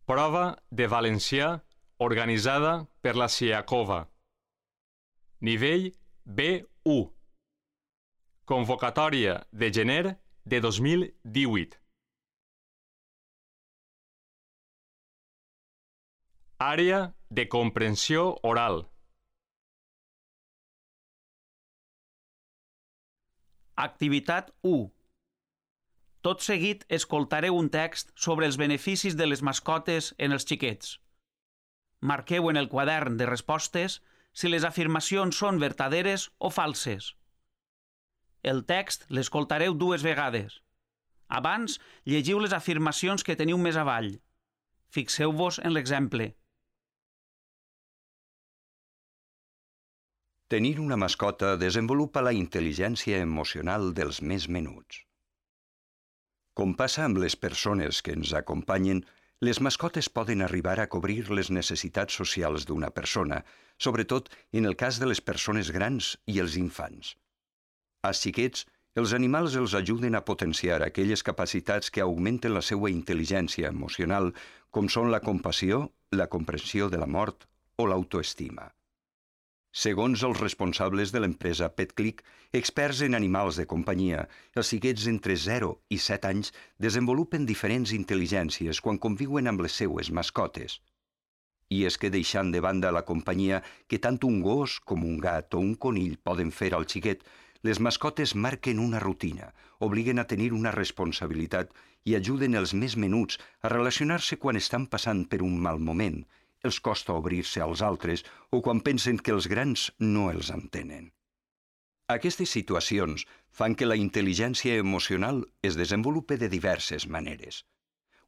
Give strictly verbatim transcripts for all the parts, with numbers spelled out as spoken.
Prova de valencià organitzada per la SIACOVA. Nivell B u. Convocatòria de gener de dos mil divuit. Àrea de comprensió oral. Activitat u. Tot seguit escoltareu un text sobre els beneficis de les mascotes en els xiquets. Marqueu en el quadern de respostes si les afirmacions són vertaderes o falses. El text l'escoltareu dues vegades. Abans, llegiu les afirmacions que teniu més avall. Fixeu-vos en l'exemple. Tenir una mascota desenvolupa la intel·ligència emocional dels més menuts. Com passa amb les persones que ens acompanyen, les mascotes poden arribar a cobrir les necessitats socials d'una persona, sobretot en el cas de les persones grans i els infants. Als xiquets, els animals els ajuden a potenciar aquelles capacitats que augmenten la seva intel·ligència emocional, com són la compassió, la comprensió de la mort o l'autoestima. Segons els responsables de l'empresa PetClick, experts en animals de companyia, els xiquets entre zero i set anys desenvolupen diferents intel·ligències quan conviuen amb les seues mascotes. I és que deixant de banda la companyia que tant un gos com un gat o un conill poden fer al xiquet, les mascotes marquen una rutina, obliguen a tenir una responsabilitat i ajuden els més menuts a relacionar-se quan estan passant per un mal moment, els costa obrir-se als altres o quan pensen que els grans no els entenen. Aquestes situacions fan que la intel·ligència emocional es desenvolupe de diverses maneres.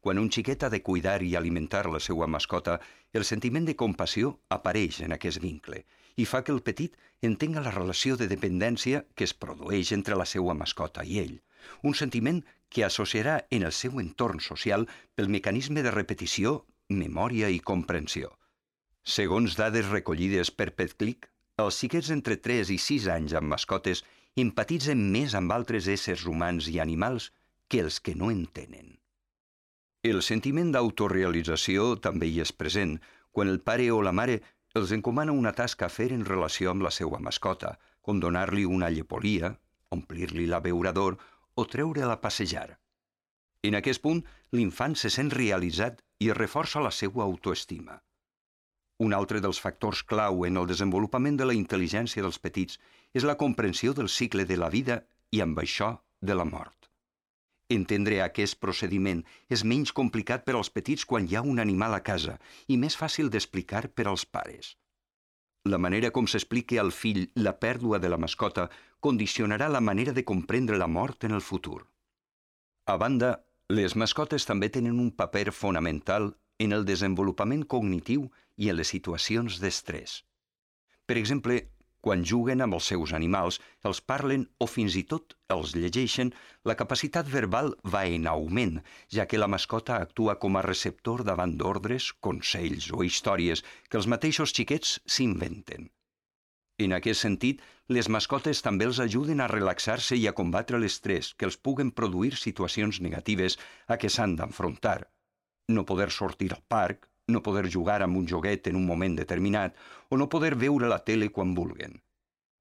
Quan un xiquet ha de cuidar i alimentar la seva mascota, el sentiment de compassió apareix en aquest vincle i fa que el petit entenga la relació de dependència que es produeix entre la seva mascota i ell, un sentiment que associarà en el seu entorn social pel mecanisme de repetició, memòria i comprensió. Segons dades recollides per PetClick, els xiquets entre tres i sis anys amb mascotes empatitzen més amb altres éssers humans i animals que els que no en tenen. El sentiment d'autorealització també hi és present quan el pare o la mare els encomana una tasca a fer en relació amb la seva mascota, com donar-li una llepolia, omplir-li l'abeurador o treure-la a passejar. En aquest punt, l'infant se sent realitzat i reforça la seva autoestima. Un altre dels factors clau en el desenvolupament de la intel·ligència dels petits és la comprensió del cicle de la vida i, amb això, de la mort. Entendre aquest procediment és menys complicat per als petits quan hi ha un animal a casa i més fàcil d'explicar per als pares. La manera com s'expliqui al fill la pèrdua de la mascota condicionarà la manera de comprendre la mort en el futur. A banda, les mascotes també tenen un paper fonamental en el desenvolupament cognitiu i en les situacions d'estrès. Per exemple, quan juguen amb els seus animals, els parlen o fins i tot els llegeixen, la capacitat verbal va en augment, ja que la mascota actua com a receptor davant d'ordres, consells o històries que els mateixos xiquets s'inventen. En aquest sentit, les mascotes també els ajuden a relaxar-se i a combatre l'estrès que els puguen produir situacions negatives a què s'han d'enfrontar. No poder sortir al parc, no poder jugar amb un joguet en un moment determinat o no poder veure la tele quan vulguen.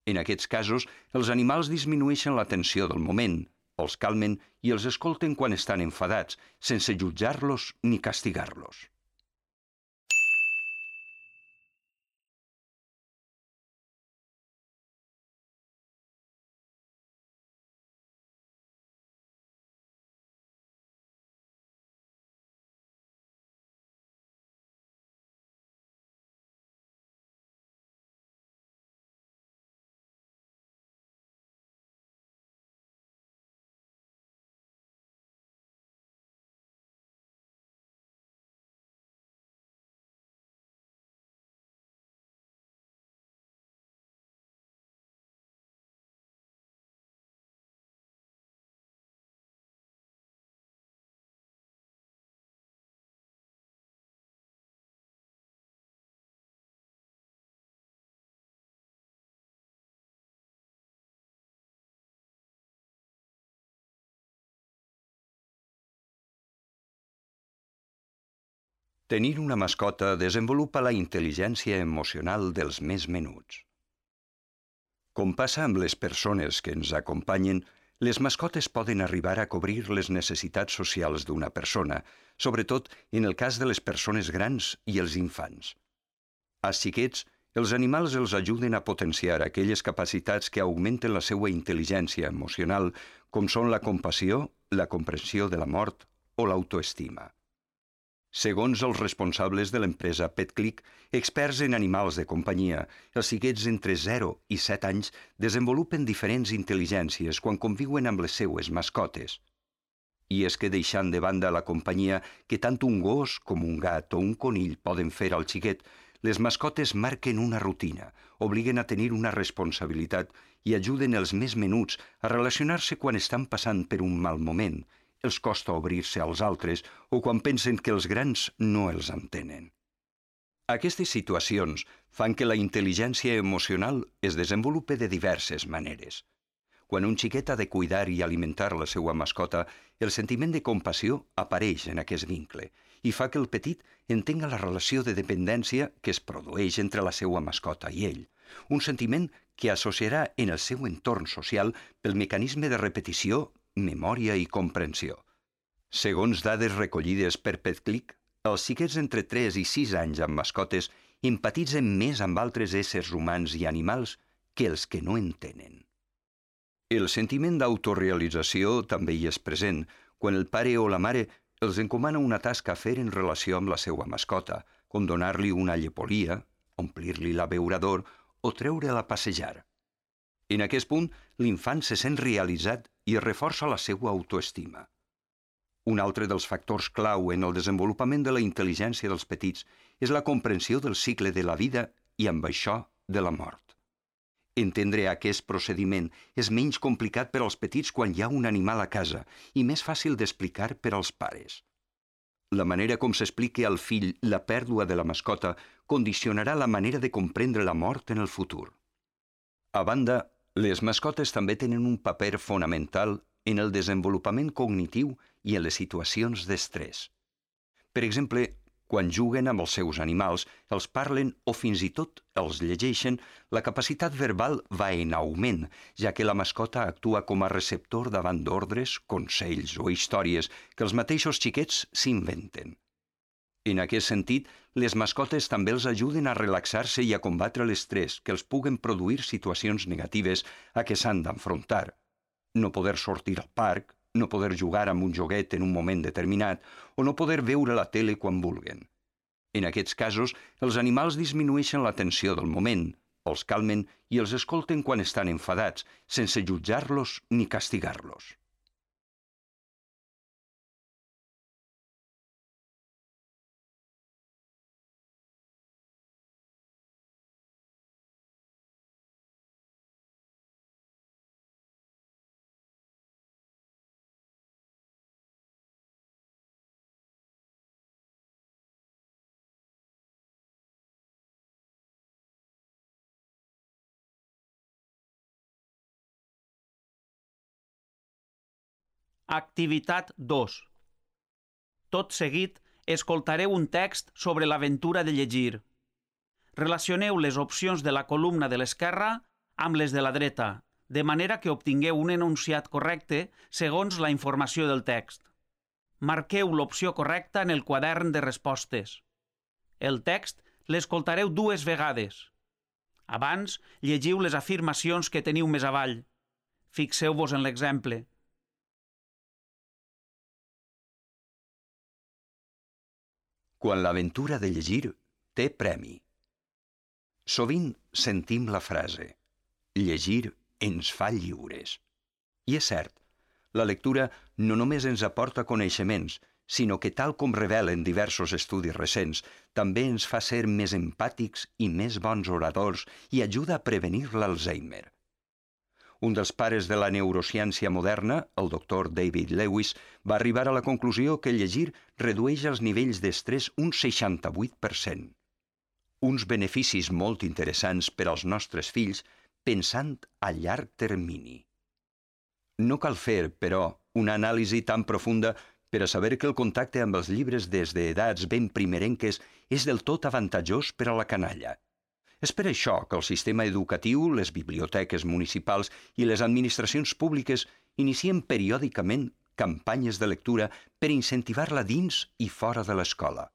En aquests casos, els animals disminueixen la tensió del moment, els calmen i els escolten quan estan enfadats, sense jutjar-los ni castigar-los. Tenir una mascota desenvolupa la intel·ligència emocional dels més menuts. Com passa amb les persones que ens acompanyen, les mascotes poden arribar a cobrir les necessitats socials d'una persona, sobretot en el cas de les persones grans i els infants. Als xiquets, els animals els ajuden a potenciar aquelles capacitats que augmenten la seva intel·ligència emocional, com són la compassió, la comprensió de la mort o l'autoestima. Segons els responsables de l'empresa PetClick, experts en animals de companyia, els xiquets entre zero i set anys desenvolupen diferents intel·ligències quan conviuen amb les seues mascotes. I és que deixant de banda la companyia que tant un gos com un gat o un conill poden fer al xiquet, les mascotes marquen una rutina, obliguen a tenir una responsabilitat i ajuden els més menuts a relacionar-se quan estan passant per un mal moment, els costa obrir-se als altres o quan pensen que els grans no els entenen. Aquestes situacions fan que la intel·ligència emocional es desenvolupe de diverses maneres. Quan un xiquet ha de cuidar i alimentar la seva mascota, el sentiment de compassió apareix en aquest vincle i fa que el petit entenga la relació de dependència que es produeix entre la seva mascota i ell, un sentiment que associarà en el seu entorn social pel mecanisme de repetició, memòria i comprensió. Segons dades recollides per PetClick, els xiquets entre tres i sis anys amb mascotes empatitzen més amb altres éssers humans i animals que els que no en tenen. El sentiment d'autorealització també hi és present quan el pare o la mare els encomana una tasca a fer en relació amb la seva mascota, com donar-li una llepolia, omplir-li l'abeurador o treure-la a passejar. En aquest punt, l'infant se sent realitzat i reforça la seva autoestima. Un altre dels factors clau en el desenvolupament de la intel·ligència dels petits és la comprensió del cicle de la vida i, amb això, de la mort. Entendre aquest procediment és menys complicat per als petits quan hi ha un animal a casa i més fàcil d'explicar per als pares. La manera com s'expliqui al fill la pèrdua de la mascota condicionarà la manera de comprendre la mort en el futur. A banda, les mascotes també tenen un paper fonamental en el desenvolupament cognitiu i en les situacions d'estrès. Per exemple, quan juguen amb els seus animals, els parlen o fins i tot els llegeixen, la capacitat verbal va en augment, ja que la mascota actua com a receptor davant d'ordres, consells o històries que els mateixos xiquets s'inventen. En aquest sentit, les mascotes també els ajuden a relaxar-se i a combatre l'estrès que els puguen produir situacions negatives a què s'han d'enfrontar. No poder sortir al parc, no poder jugar amb un joguet en un moment determinat o no poder veure la tele quan vulguen. En aquests casos, els animals disminueixen la tensió del moment, els calmen i els escolten quan estan enfadats, sense jutjar-los ni castigar-los. Activitat dos. Tot seguit, escoltareu un text sobre l'aventura de llegir. Relacioneu les opcions de la columna de l'esquerra amb les de la dreta, de manera que obtingueu un enunciat correcte segons la informació del text. Marqueu l'opció correcta en el quadern de respostes. El text l'escoltareu dues vegades. Abans, llegiu les afirmacions que teniu més avall. Fixeu-vos en l'exemple. Quan l'aventura de llegir té premi. Sovint sentim la frase «llegir ens fa lliures». I és cert, la lectura no només ens aporta coneixements, sinó que, tal com revelen diversos estudis recents, també ens fa ser més empàtics i més bons oradors i ajuda a prevenir l'Alzheimer. Un dels pares de la neurociència moderna, el doctor David Lewis, va arribar a la conclusió que llegir redueix els nivells d'estrès un seixanta-vuit per cent. Uns beneficis molt interessants per als nostres fills pensant a llarg termini. No cal fer, però, una anàlisi tan profunda per a saber que el contacte amb els llibres des d'edats ben primerenques és del tot avantatjós per a la canalla. És per això que el sistema educatiu, les biblioteques municipals i les administracions públiques inicien periòdicament campanyes de lectura per incentivar-la dins i fora de l'escola.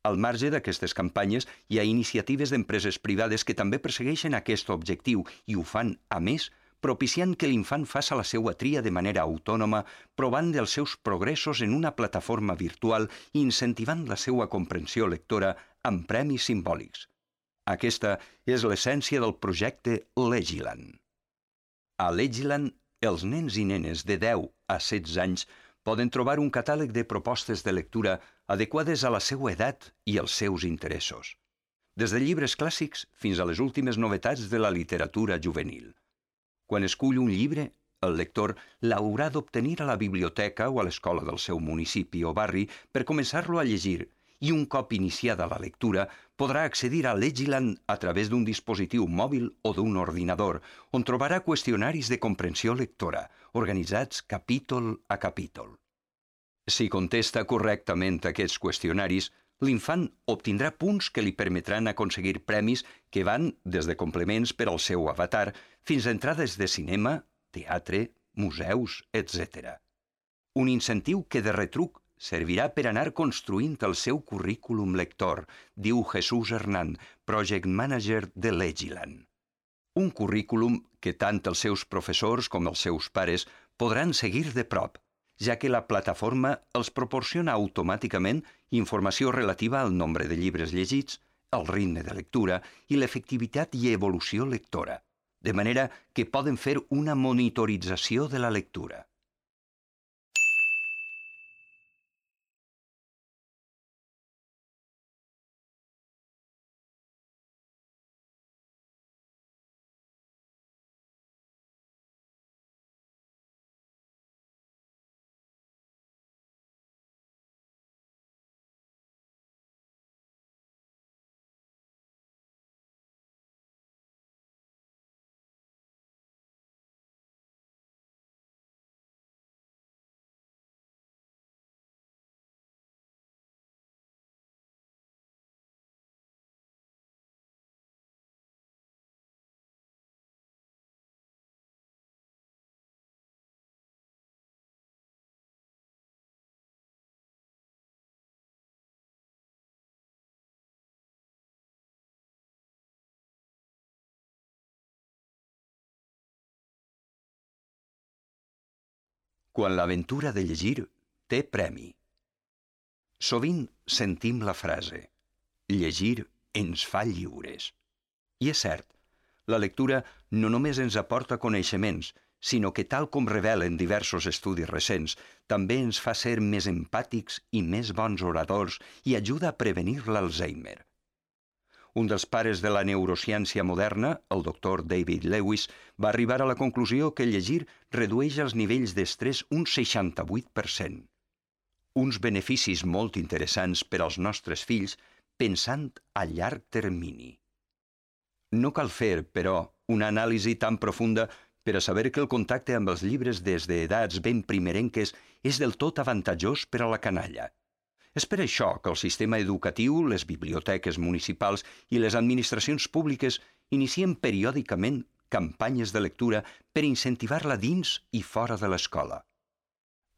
Al marge d'aquestes campanyes, hi ha iniciatives d'empreses privades que també persegueixen aquest objectiu i ho fan, a més, propiciant que l'infant faça la seva tria de manera autònoma, provant dels seus progressos en una plataforma virtual i incentivant la seva comprensió lectora amb premis simbòlics. Aquesta és l'essència del projecte Legiland. A Legiland, els nens i nenes de deu a setze anys poden trobar un catàleg de propostes de lectura adequades a la seva edat i als seus interessos, des de llibres clàssics fins a les últimes novetats de la literatura juvenil. Quan escull un llibre, el lector l'haurà d'obtenir a la biblioteca o a l'escola del seu municipi o barri per començar-lo a llegir i un cop iniciada la lectura podrà accedir a Legiland a través d'un dispositiu mòbil o d'un ordinador, on trobarà qüestionaris de comprensió lectora, organitzats capítol a capítol. Si contesta correctament aquests qüestionaris, l'infant obtindrà punts que li permetran aconseguir premis que van des de complements per al seu avatar fins a entrades de cinema, teatre, museus, etcètera. Un incentiu que de retruc servirà per anar construint el seu currículum lector, diu Jesús Hernán, Project Manager de Legiland. Un currículum que tant els seus professors com els seus pares podran seguir de prop, ja que la plataforma els proporciona automàticament informació relativa al nombre de llibres llegits, el ritme de lectura i l'efectivitat i evolució lectora, de manera que poden fer una monitorització de la lectura. Quan l'aventura de llegir té premi. Sovint sentim la frase «llegir ens fa lliures». I és cert, la lectura no només ens aporta coneixements, sinó que, tal com revelen diversos estudis recents, també ens fa ser més empàtics i més bons oradors i ajuda a prevenir l'Alzheimer. Un dels pares de la neurociència moderna, el doctor David Lewis, va arribar a la conclusió que llegir redueix els nivells d'estrès un seixanta-vuit per cent. Uns beneficis molt interessants per als nostres fills pensant a llarg termini. No cal fer, però, una anàlisi tan profunda per a saber que el contacte amb els llibres des d'edats ben primerenques és del tot avantatjós per a la canalla. És per això que el sistema educatiu, les biblioteques municipals i les administracions públiques inicien periòdicament campanyes de lectura per incentivar-la dins i fora de l'escola.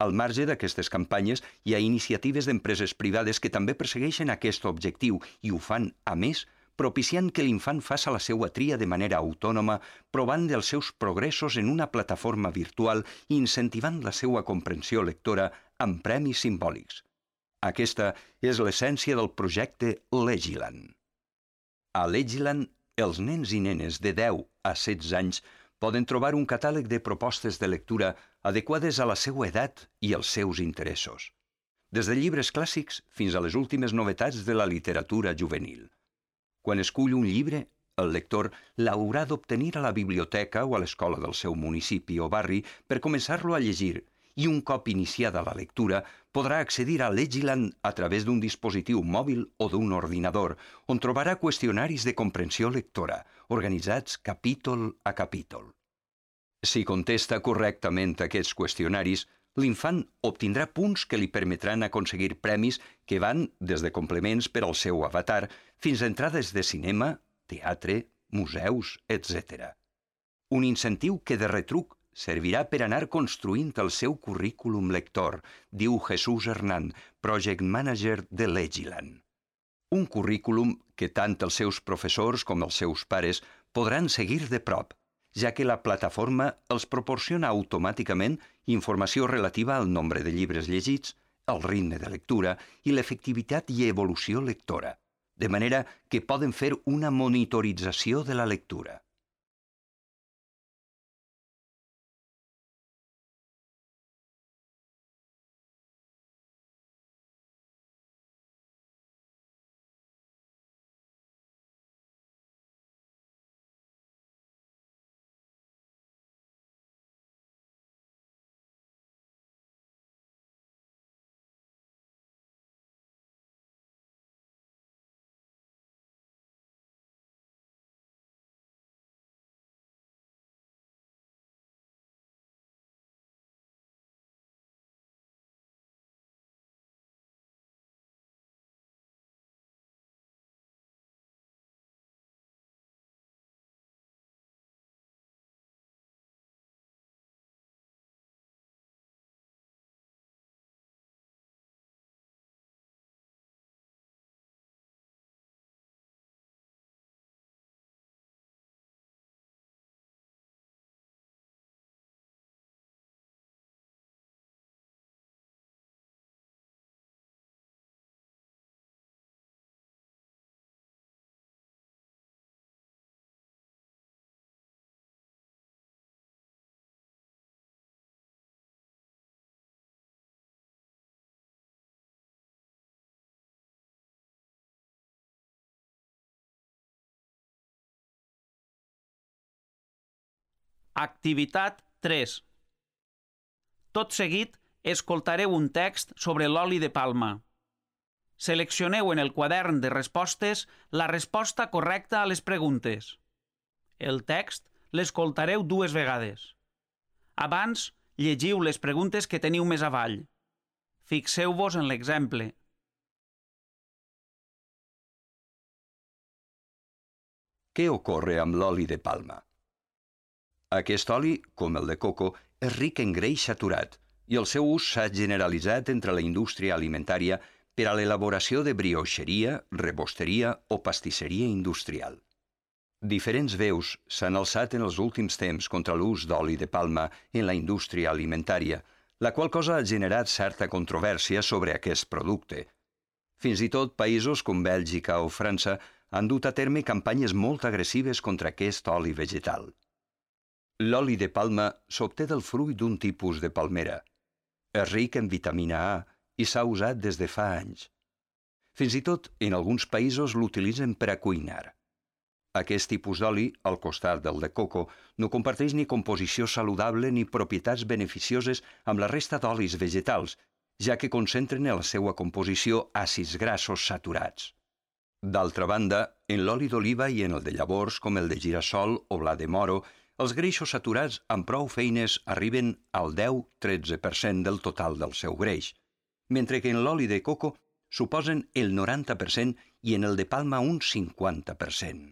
Al marge d'aquestes campanyes, hi ha iniciatives d'empreses privades que també persegueixen aquest objectiu i ho fan, a més, propiciant que l'infant faça la seva tria de manera autònoma, provant dels seus progressos en una plataforma virtual i incentivant la seva comprensió lectora amb premis simbòlics. Aquesta és l'essència del projecte Legiland. A Legiland, els nens i nenes de deu a setze anys poden trobar un catàleg de propostes de lectura adequades a la seva edat i als seus interessos, des de llibres clàssics fins a les últimes novetats de la literatura juvenil. Quan escull un llibre, el lector l'haurà d'obtenir a la biblioteca o a l'escola del seu municipi o barri per començar-lo a llegir i un cop iniciada la lectura podrà accedir a Legiland a través d'un dispositiu mòbil o d'un ordinador, on trobarà qüestionaris de comprensió lectora, organitzats capítol a capítol. Si contesta correctament aquests qüestionaris, l'infant obtindrà punts que li permetran aconseguir premis que van des de complements per al seu avatar fins a entrades de cinema, teatre, museus, etcètera. Un incentiu que de retruc servirà per anar construint el seu currículum lector, diu Jesús Hernán, Project Manager de Legiland. Un currículum que tant els seus professors com els seus pares podran seguir de prop, ja que la plataforma els proporciona automàticament informació relativa al nombre de llibres llegits, el ritme de lectura i l'efectivitat i evolució lectora, de manera que poden fer una monitorització de la lectura. Activitat tres. Tot seguit, escoltareu un text sobre l'oli de palma. Seleccioneu en el quadern de respostes la resposta correcta a les preguntes. El text l'escoltareu dues vegades. Abans, llegiu les preguntes que teniu més avall. Fixeu-vos en l'exemple. Què ocorre amb l'oli de palma? Aquest oli, com el de coco, és ric en greix saturat i el seu ús s'ha generalitzat entre la indústria alimentària per a l'elaboració de brioixeria, rebosteria o pastisseria industrial. Diferents veus s'han alçat en els últims temps contra l'ús d'oli de palma en la indústria alimentària, la qual cosa ha generat certa controvèrsia sobre aquest producte. Fins i tot països com Bèlgica o França han dut a terme campanyes molt agressives contra aquest oli vegetal. L'oli de palma s'obté del fruit d'un tipus de palmera. És ric en vitamina A i s'ha usat des de fa anys. Fins i tot, en alguns països l'utilitzen per a cuinar. Aquest tipus d'oli, al costat del de coco, no comparteix ni composició saludable ni propietats beneficioses amb la resta d'olis vegetals, ja que concentren en la seva composició àcids grassos saturats. D'altra banda, en l'oli d'oliva i en el de llavors, com el de girassol o blat de moro, els greixos saturats amb prou feines arriben al deu a tretze per cent del total del seu greix, mentre que en l'oli de coco suposen el noranta per cent i en el de palma un cinquanta per cent.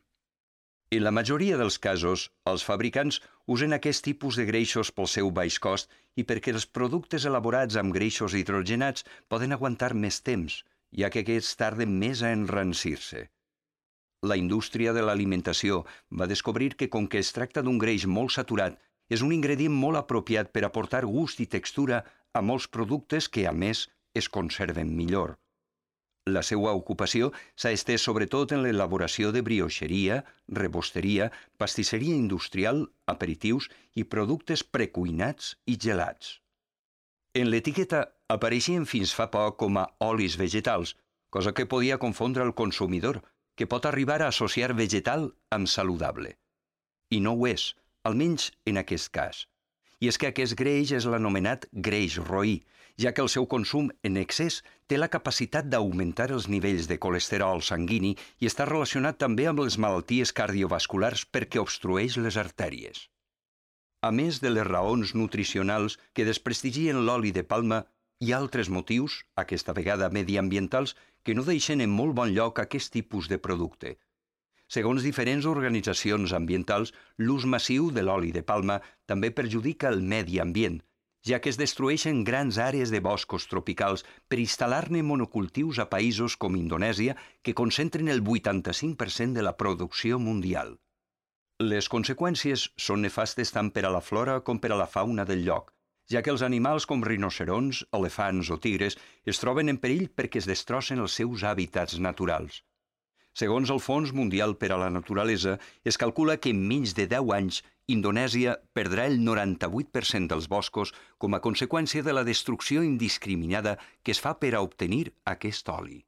En la majoria dels casos, els fabricants usen aquest tipus de greixos pel seu baix cost i perquè els productes elaborats amb greixos hidrogenats poden aguantar més temps, ja que aquests tarden més a enrancir-se. La indústria de l'alimentació va descobrir que, com que es tracta d'un greix molt saturat, és un ingredient molt apropiat per aportar gust i textura a molts productes que, a més, es conserven millor. La seva ocupació s'ha estès sobretot en l'elaboració de brioixeria, rebosteria, pastisseria industrial, aperitius i productes precuinats i gelats. En l'etiqueta apareixien fins fa poc com a olis vegetals, cosa que podia confondre el consumidor, que pot arribar a associar vegetal amb saludable. I no ho és, almenys en aquest cas. I és que aquest greix és l'anomenat greix roí, ja que el seu consum en excés té la capacitat d'augmentar els nivells de colesterol sanguini i està relacionat també amb les malalties cardiovasculars perquè obstrueix les artèries. A més de les raons nutricionals que desprestigien l'oli de palma, hi ha altres motius, aquesta vegada mediambientals, que no deixen en molt bon lloc aquest tipus de producte. Segons diferents organitzacions ambientals, l'ús massiu de l'oli de palma també perjudica el medi ambient, ja que es destrueixen grans àrees de boscos tropicals per instal·lar-ne monocultius a països com Indonèsia, que concentren el vuitanta-cinc per cent de la producció mundial. Les conseqüències són nefastes tant per a la flora com per a la fauna del lloc, ja que els animals com rinocerons, elefants o tigres es troben en perill perquè es destrossen els seus hàbitats naturals. Segons el Fons Mundial per a la Naturalesa, es calcula que en menys de deu anys Indonèsia perdrà el noranta-vuit per cent dels boscos com a conseqüència de la destrucció indiscriminada que es fa per a obtenir aquest oli.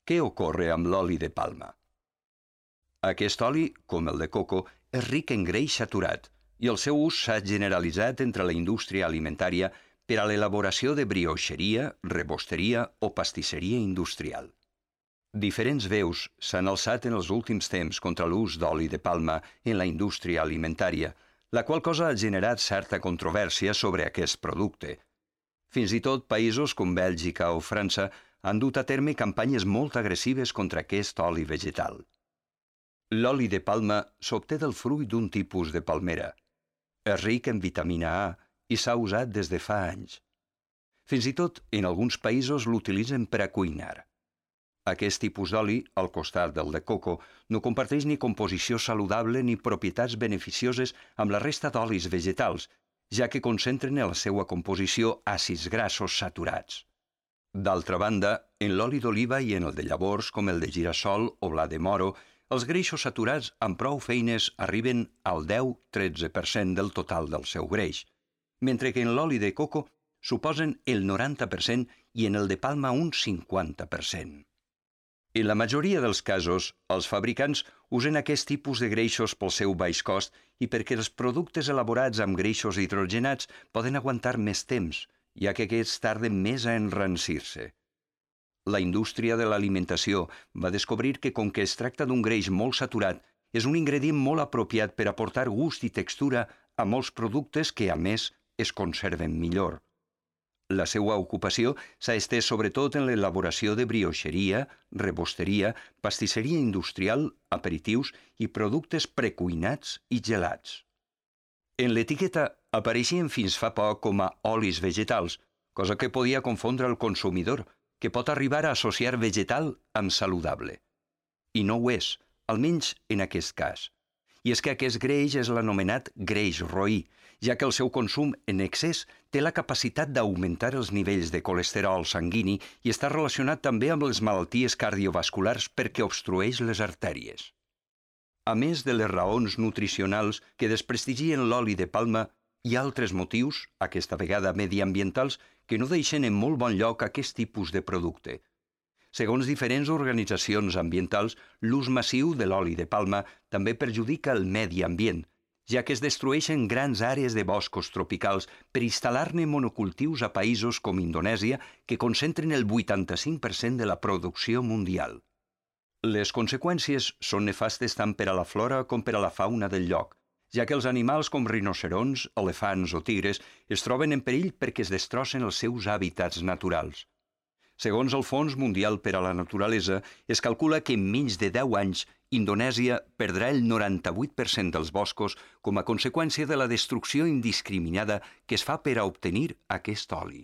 Què ocorre amb l'oli de palma? Aquest oli, com el de coco, és ric en greix saturat i el seu ús s'ha generalitzat entre la indústria alimentària per a l'elaboració de brioixeria, rebosteria o pastisseria industrial. Diferents veus s'han alçat en els últims temps contra l'ús d'oli de palma en la indústria alimentària, la qual cosa ha generat certa controvèrsia sobre aquest producte. Fins i tot països com Bèlgica o França han dut a terme campanyes molt agressives contra aquest oli vegetal. L'oli de palma s'obté del fruit d'un tipus de palmera. És ric en vitamina A i s'ha usat des de fa anys. Fins i tot, en alguns països l'utilitzen per a cuinar. Aquest tipus d'oli, al costat del de coco, no comparteix ni composició saludable ni propietats beneficioses amb la resta d'olis vegetals, ja que concentren en la seva composició àcids grassos saturats. D'altra banda, en l'oli d'oliva i en el de llavors, com el de girassol o blat de moro, els greixos saturats amb prou feines arriben al deu a tretze per cent del total del seu greix, mentre que en l'oli de coco suposen el noranta per cent i en el de palma un cinquanta per cent. En la majoria dels casos, els fabricants usen aquest tipus de greixos pel seu baix cost i perquè els productes elaborats amb greixos hidrogenats poden aguantar més temps, ja que aquests tarden més a enrancir-se. La indústria de l'alimentació va descobrir que, com que es tracta d'un greix molt saturat, és un ingredient molt apropiat per aportar gust i textura a molts productes que, a més, es conserven millor. La seva ocupació s'ha estès sobretot en l'elaboració de brioixeria, rebosteria, pastisseria industrial, aperitius i productes precuinats i gelats. En l'etiqueta apareixien fins fa poc com a olis vegetals, cosa que podia confondre el consumidor, que pot arribar a associar vegetal amb saludable. I no ho és, almenys en aquest cas. I és que aquest greix és l'anomenat greix roí, ja que el seu consum en excés té la capacitat d'augmentar els nivells de colesterol sanguini i està relacionat també amb les malalties cardiovasculars perquè obstrueix les artèries. A més de les raons nutricionals que desprestigien l'oli de palma, hi ha altres motius, aquesta vegada mediambientals, que no deixen en molt bon lloc aquest tipus de producte. Segons diferents organitzacions ambientals, l'ús massiu de l'oli de palma també perjudica el medi ambient, ja que es destrueixen grans àrees de boscos tropicals per instal·lar-ne monocultius a països com Indonèsia, que concentren el vuitanta-cinc per cent de la producció mundial. Les conseqüències són nefastes tant per a la flora com per a la fauna del lloc, ja que els animals com rinocerons, elefants o tigres es troben en perill perquè es destrossen els seus hàbitats naturals. Segons el Fons Mundial per a la Naturalesa, es calcula que en menys de deu anys Indonèsia perdrà el noranta-vuit per cent dels boscos com a conseqüència de la destrucció indiscriminada que es fa per a obtenir aquest oli.